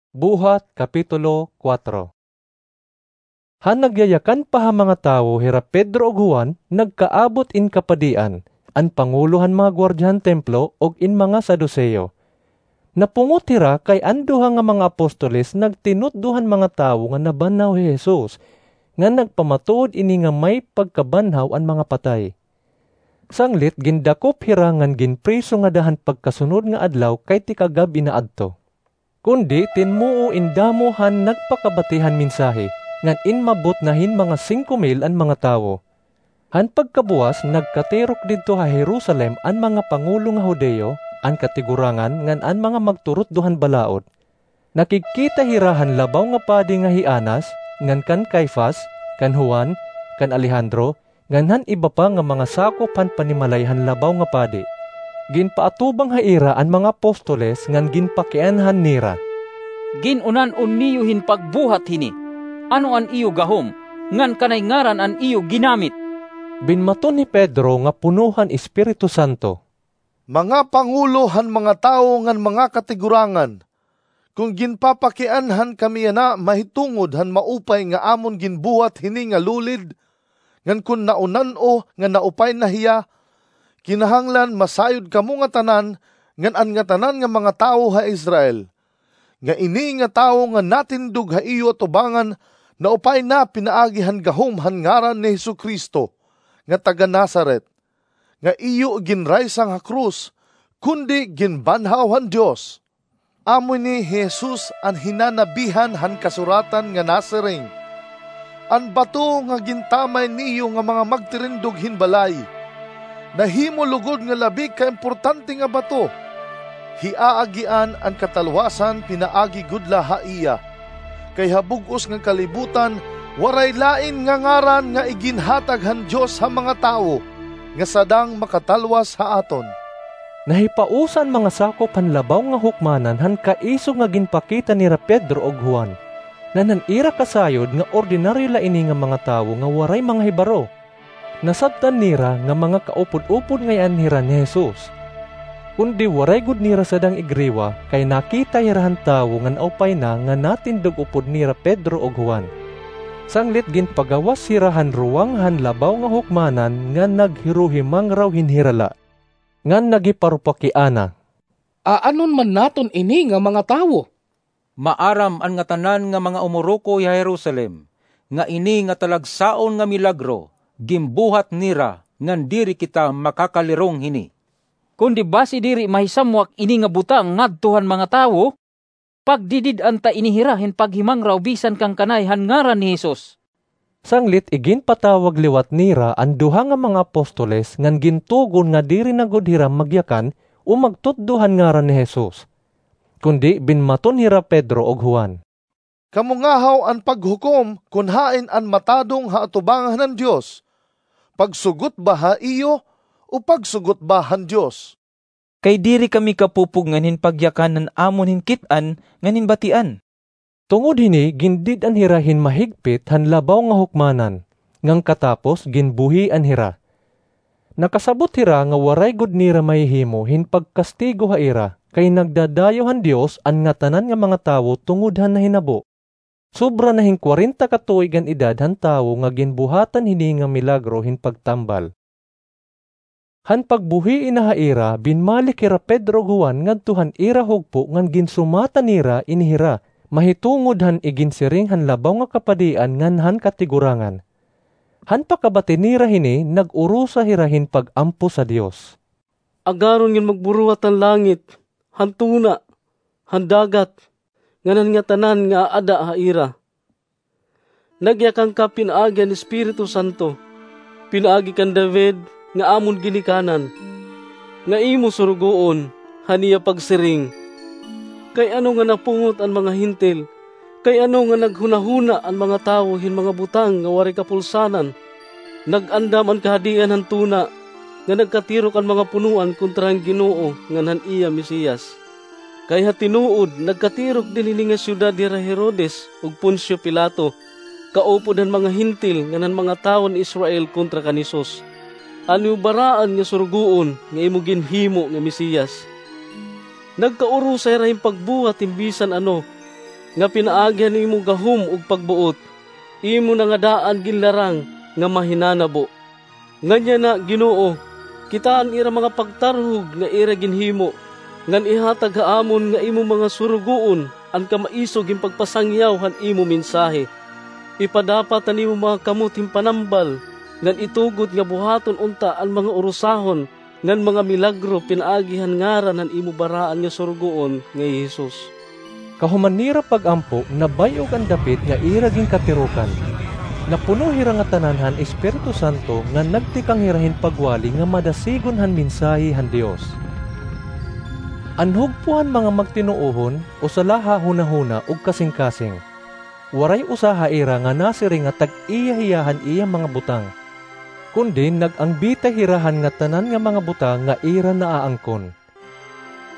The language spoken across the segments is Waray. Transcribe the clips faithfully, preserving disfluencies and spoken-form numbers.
Buhat, Kapitulo kuwatro. Han nagyayakan pa ha mga tawo hira Pedro ug Juan, nagkaabot in kapadian, an pangulo han mga guwardiya han templo ug in mga Saduseo. Napungot hira kay an duha nga mga apostoles nagtinutdo han mga tawo nga nabanhaw hi Jesus, ngan nagpamatuod ini nga may pagkabanhaw an mga patay. Sanglit gindakop hira ngan ginpriso ngada han pagkasunod nga adlaw kay tikagab-i na adto. Kundi tinmuo in damo han nagpakabati han mensahe, ngan inmabot na hin mga singko mil an mga tawo. Han pagkabuwas, nagkatirok didto ha Jerusalem an mga pangulo nga Judio, an katigurangan, ngan an mga magturutdo han balaod. Nakigkita hira han Labaw nga Padi nga hi Anas, ngan kan Caifas, kan Juan, kan Alejandro, ngan han iba pa nga mga sakop han panimalay han Labaw nga Padi. Ginpaatubang ha ira an mga apostoles ngan ginpakianhan nira, "Gin-unan-on niyo hin pagbuhat hini. Ano an iyo gahom, ngan kanay ngaran an iyo ginamit?" Binmaton hi Pedro nga puno han Espiritu Santo, "Mga pangulo han mga tawo ngan mga katigurangan, kon ginpapakianhan kami yana mahitungod han maupay nga amon ginbuhat hini nga lulid, ngan kon naunan-o nga naupay na hiya, kinahanglan masayod kamo ngatanan ngan an ngatanan nga mga tawo ha Israel, nga ini nga tawo nga natindog ha iyo atubangan naupay na pinaagi han gahom han ngaran ni Jesu-Cristo nga taga-Nazaret, nga iyo ginraysang ha krus, kundi ginbanhaw han Dios. Amo ini hi Jesus an hinanabihan han kasuratan nga nasiring, 'An bato nga gintamay niyo nga mga magtirindog hin balay, nahimo lugod nga labi ka importante nga bato. Hiaagian an katalwasan pinaagi gud la ha iya. Kay ha bug-os nga kalibutan, waray lain nga ngaran nga iginhatag han Dios ha mga tawo nga sadang makatalwas ha aton.'" Nahipausa an mga sakop han Labaw nga Hukmanan han kaisog nga ginpakita nira Pedro ug Juan, ngan han ira kasayod nga ordinaryo la ini nga mga tawo nga waray mga hibaro. Nasabtan nira nga mga kaupod-upod ngay-an hira ni Jesus. Kundi waray gud nira sadang igriwa, kay nakita hira han tawo nga naupay na nga natindog upod nira Pedro ug Juan. Sanglit ginpagawas hira han ruwang han Labaw nga Hukmanan ngan naghiruhimangraw hin hirala, ngan naghiparupakiana, "Aanon man naton ini nga mga tawo? Maaram an ngatanan nga mga umurukoy ha Jerusalem nga ini nga talagsaon nga milagro ginbuhat nira, ngan diri kita makakalirong hini. Kundi basi diri mahisamwak ini nga butang ngadto han mga tawo, pagdidid-an ta ini hira hin paghimangraw bisan kan kanay han ngaran ni Jesus." Sanglit iginpatawag liwat nira an duha nga mga apostoles ngan gintugon nga diri na gud hira magyakan o magtutdo han ngaran ni Jesus. Kundi binmaton hira Pedro ug Juan, "Kamo ngahaw an paghukom kon hain an matadong ha atubangan han Dios, pagsugot ba ha iyo o pagsugot ba han Dios? Kay diri kami kapupugngan hin pagyakan an amon hin kit-an ngan hin batian." Tungod hini, gindid-an hira hin mahigpit han Labaw nga Hukmanan, ngan katapos ginbuhian hira. Nakasabot hira nga waray gud nira mahihimo hin pagkastigo ha ira, kay nagdadayaw han Dios an ngatanan nga mga tawo tungod han nahinabo. Sobra na hin kwarenta ka tuig an edad han tawo nga ginbuhatan hini nga milagro hin pagtambal. Han pagbuhii na ha ira, binmalik hira Pedro ug Juan ngadto han ira hugpo ngan ginsumatan nira ini hira mahitungod han iginsiring han Labaw nga Kapadian ngan han Katigurangan. Han pakabati nira hini, nag-urusa hira hin pag-ampo sa Dios, "Agaron ngan magburuhat han langit, han tuna, han dagat, ngan han ngatanan nga aada ha ira. Nagyakan ka pinaagi han Espiritu Santo, pinaagi kan David nga amon ginikanan, nga imo surugoon, han iya pagsiring, 'Kay ano nga napungot an mga Hentil? Kay ano nga naghunahuna an mga tawo hin mga butang nga waray kapulsanan? Nag-andam an kahadian han tuna, nga nagkatirok an mga punoan kontra han Ginoo ngan han iya Mesiyas. Kay ha tinuod, nagkatirok dinhi nga syudad hira Herodes ug Poncio Pilato, kaupod han mga Hentil ngan han mga tawo han Israel kontra kan Jesus, an imo baraan nga surugoon nga imo ginhimo nga Mesiyas. Nagkaurusa hira hin pagbuhat hin bisan ano, nga pinaagi han imo gahom ug pagbuot, imo na nga daan ginlarang nga mahinanabo. Ngan yana, Ginoo, kitaa an ira mga pagtarhog nga ira ginhimo, ngan ihatag ha amon nga imo mga surugoon an kamaisog hin pagpasangyaw han imo mensahe. Ipadapat an imo mga kamot hin panambal, ngan itugot nga buhaton unta an mga urusahon ngan mga milagro pinaagi han ngaran han imo baraan nga Surugoon nga hi Jesus. Kahuman nira pag-ampo, nabay-og an dapit nga ira ginkatirokan. Napuno hira ngatanan han Espiritu Santo ngan nagtikang hira hin pagwali nga madasigon han mensahe han Dios. An hugpo han mga magtinuohon usa la ha hunahuna ug kasingkasing. Waray usa ha ira nga nasiring nga tag-iya hiya han iya mga butang, kundi nag-angbitay hira han ngatanan nga mga butang nga ira naaangkon.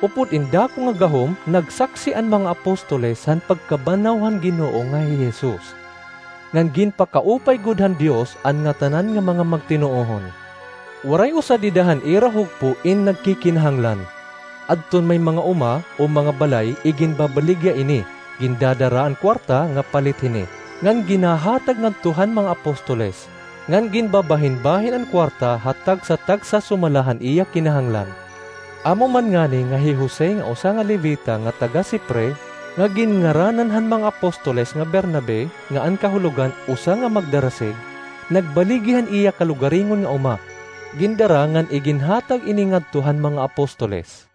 Upod in dako nga gahom, nagsaksi an mga apostoles han pagkabanaw han Ginoo nga hi Jesus, ngan ginpakaupay gud han Dios an ngatanan nga mga magtinuohon. Waray usa dida han ira hugpo in nagkikinahanglan. Adton may mga uma o mga balay, iginbabaligya ini, gindadara an kuwarta nga palit hini, ngan ginhahatag ngadto han mga apostoles, ngan ginbabahinbahin an kuwarta ha tagsa-tagsa sumala han iya kinahanglan. Amo man ngani nga hi Jose nga usa nga Levita nga taga-Cipre, nga ginngaranan han mga apostoles nga Bernabe, nga an kahulogan usa nga magdarasig, nagbaligya han iya kalugaringon nga uma. Gindara ngan iginhatag ini ngadto han mga apostoles.